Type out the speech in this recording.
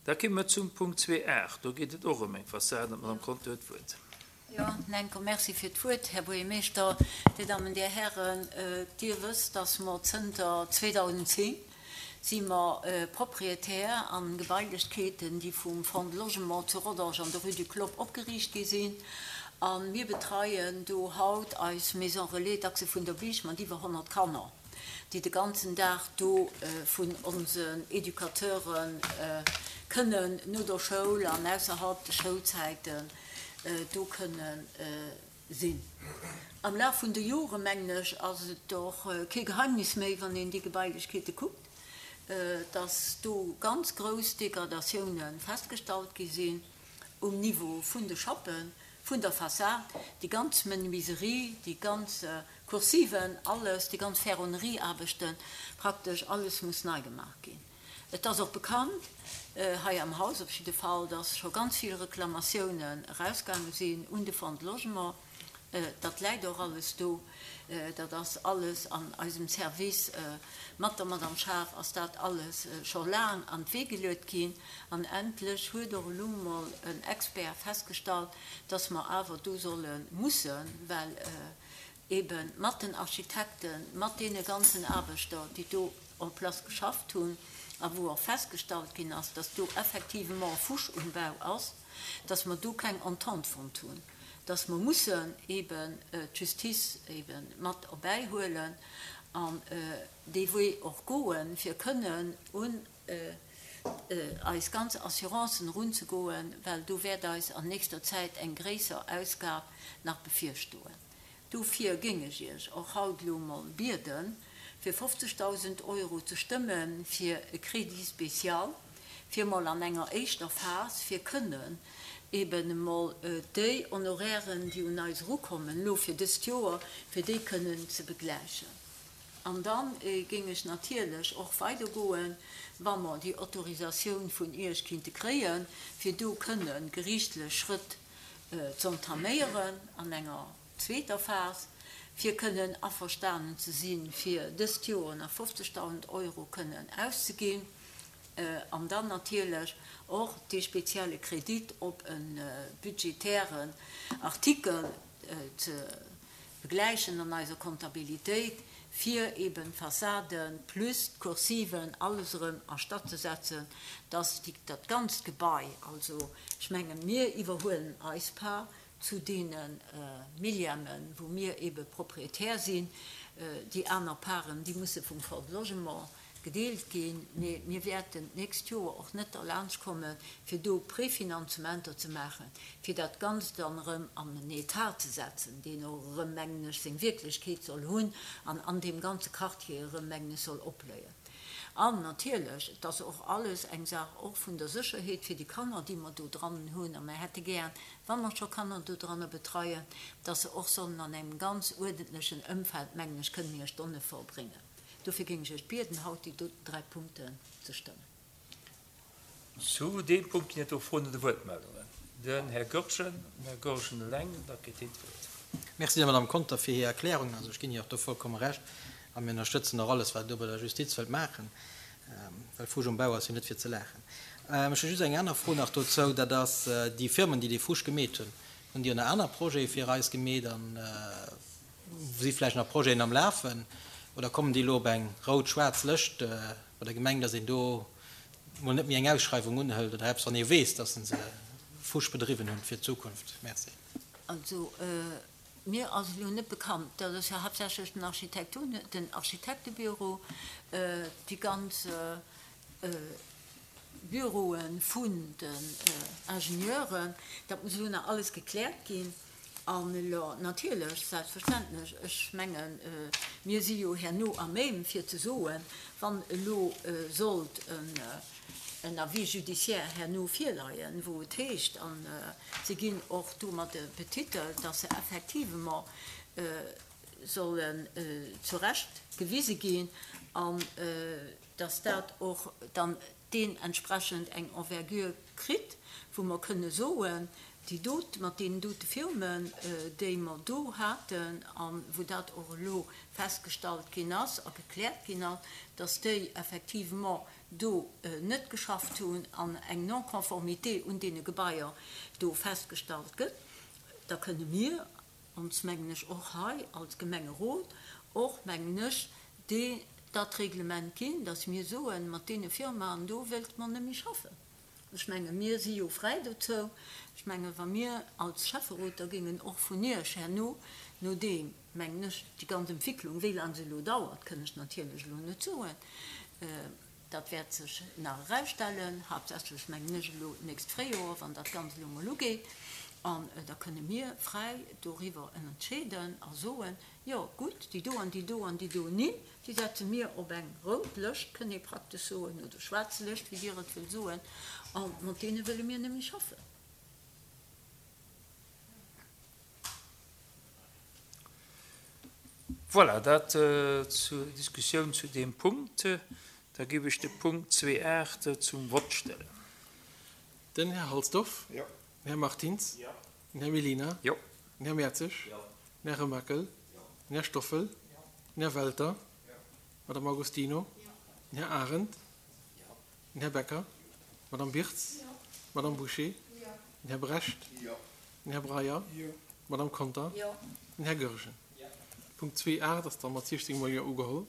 Da komme mer zum Punkt 2.8. Do geet et och ëm eng Fassad an d'Madame Conter huet d'Wuert. Jo, enker Merci fir d'Wuert, Här Buergermeeschter, Dir Dammen, Dir Hären. Dir wësst, dass mer zënter 2010 si mer Propriétaire an Gebailechkeeten, déi vum Fonds de Logement zu Rodange an der Rue du Clopp opgeriicht gi sinn. A mir betreien do haut eis Maison Relais d'Achse vun der Bich mat iwwer 100 Kanner. déi de ganzen Dag do vun onsen Educateure kënnen no der Schoul an ausserhalb de Schoulzäiten do kënne sinn. Am Laf vun de Jore, mengen ech, ass et och kee Geheimnis méi, wann een déi Gebailechkeete kuckt, dass do ganz grouss Degradatioune festgestallt gi sinn um Niveau vun de Schappen, vun der Fassad, déi ganz Menuiserie, déi ganz Kursiven, alles, déi ganz Ferronnerieaarbechten, praktesch alles muss nei gemaach ginn. Et ass och bekannt, hei am Haus op jidde Fall, dass scho ganz vill Reklamatiounen erausgaange sinn un de Fonds de Logement. Dat läit och alles do. Dat ass alles an eisem Service. Mat der Madame Schaaf ass dat alles scho laang an d'Wee geluet ginn. An endlech huet och elo emol en Expert festgestallt, dass mer awer do solle mussen, well eebe mat den Architekten, mat deene ganzen Aarbechter, déi do en place geschafft hunn a wou och festgestallt ginn ass, dass do effectivement Fusch um Bau ass, dass mer do keng Entente fonnt hunn, dass mer mussen eeben d'Justice eebe mat erbäihuelen an dee Wee och goen, fir kënnen un eis ganz Assurancen erunzegoen, well do wäert eis an nächster Zäit eng gréisser Ausgab nach bevirstoen. Dofir géing ech Iech och haut elo emol bieden, fir 50.000 Euro ze stëmme fir e Crédit spécial, fir emol an enger éischter Phas, fir kënnen eben emol déi Honorairen, déi un eis erukommen elo fir dëst Joer, fir déi kënnen ze begläichen. An da géing ech natierlech och weidergoen, wa mer déi Autorisatioun vun Iech kinnte kréien, fir do kënne geriichtlech Schrëtt z'entaméieren an enger zweeter Phas, fir kënnen averstanen ze sinn, fir dëst Joer nach 50.000 Euro kënnen auszeginn an dann natierlech och dee spezielle Kredit op e budgetären Artikel ze begläichen an eiser Kontabilitéit, fir eben d'Fassaden plus d'Kursiven, alles erëm a Statt ze setzen, dass déi, dat ganzt Gebai, also ech menge mir iwwerhuelen eis Part zu deene Millièmen, wou mir ebe Propriétaire sinn, déi aner Parten, déi musse vum Fonds de Logement gedeelt ginn, mee mir wäerten d'nächst Joer och net derlaanscht kommen, fir do Prefinanzementer ze maachen, fir dat Ganzt dann erëm an en Etat ze setzen, deen och erëm, mengen ech, seng Wierklechkeet soll hunn an an deem ganze Quartier erëm, mengen ech, soll opbléien. An natierlech, et ass och alles eng Saach och vun der Sécherheet fir déi Kanner, déi mer do dran hunn, a mer hätte gär, wa mer scho Kanner do dranner betreien, dass se och sollen an engem ganz uerdentlechen Ëmfeld, mengen ech, kënnen hir Stonne verbréngen. Dofir géing ech Iech bieden, haut déi doten 3 Punkten ze stëmmen. Zu deem Punkt ginn et do Froen oder Wuertmeldungen. Den Här Goergen, den Här Goergen eleng, da kritt hien d'Wuert. Merci der Madame Conter fir hir Erklärungen. Also ech ginn hir och do vollkomme Recht a mir ënnerstëtzen och alles, wat Der do bei der Justiz wëllt maachen, well Fusch um Bau ass jo net fir ze laachen. Ech hu just eng aner Fro nach dozou, dat ass déi Firmen, déi dee Fusch gemeet hunn, hunn déi och nach aner Projete fir eis gemeet an Si vläicht nach Projeten am Lafen oder kommen déi elo op eng rout-schwaarz Lëscht bei der Gemeng, datt een do mol net méi eng Ausschreiwung unhëlt oder eppes, wann ee weess, datt se Fusch bedriwwen hunn fir d'Zukunft? Merci. Also mir ass elo net bekannt, dat ass jo haaptsächlech den Architektur, den Architektebüro, déi ganz Büroe vun den Ingenieuren, dat muss elo nach alles gekläert ginn. An elo natierlech, selbstverständlech, ech mengen, mir si jo herno à même fir ze soen, wann elo sollt en Avis judiciaire herno virleien, wou et heescht, a se ginn och domadde betitelt, dass se effectivement sollen zu Recht gewise ginn an dass dat och dann deen entsprechend eng Envergure kritt, wou mer kënne soen, déi dot, mat deenen dote Firmen, déi mer do haten a wou dat och elo festgestallt ginn ass a gekläert ginn ass, dass déi effectivement. do net geschafft hunn an eng Non-conformité un deene Gebaier do festgestallt gëtt, da kënne mir ons, mengen ech, och hei als Gemengerot och, mengen ech, dee dat Reglement ginn, dass mir soen, mat deene Firmaen do wéilte mer net méi schaffen. Ech menge mir si jo fräi dozou. Ech menge wa mir als Schäfferot da géingen och vun Iech herno, nodeem, mengen ech, déi ganz Entwicklung, wéi laang se elo dauert, kënn ech natierlech elo net soen, dat wäert sech nach erausstellen, haaptsächlech mengen ech elo d'nächst Fréijoer, wann dat Ganzt elo emol ugeet, an da kënne mir fräi doriwwer entscheeden a soen, jo gutt, déi do an déi do an déi do Nimm, déi setze mir op eng rout Lëscht, kënn ee praktesch soen, oder schwaarz Lëscht, wéi Dir et wëllt soen, a mat deene wëlle mir net méi schaffen. Voilà, dat zur Diskussioun zu deem Punkt. Da géif ech de Punkt 2.8 zum Vott stellen. Den Här Halsdorf. Jo. Den Här Martins. Jo. Den Här Mellina. Jo. Den Här Mertzig. Jo. Den Här Remakel. Jo. Den Här Stoffel. Jo. Den Här Welter. Jo. D'Madame Agostino. Jo. Den Här Arendt. Jo. Den Här Becker. D'Madame Birtz. Jo. D'Madame Bouché. Jo. Den Här Brecht. Jo. Den Här Breyer. Jo. D'Madame Conter. Jo. Den Här Goergen. Jo. Punkt 2.8 ass da mat 16 mol Jo ugeholl.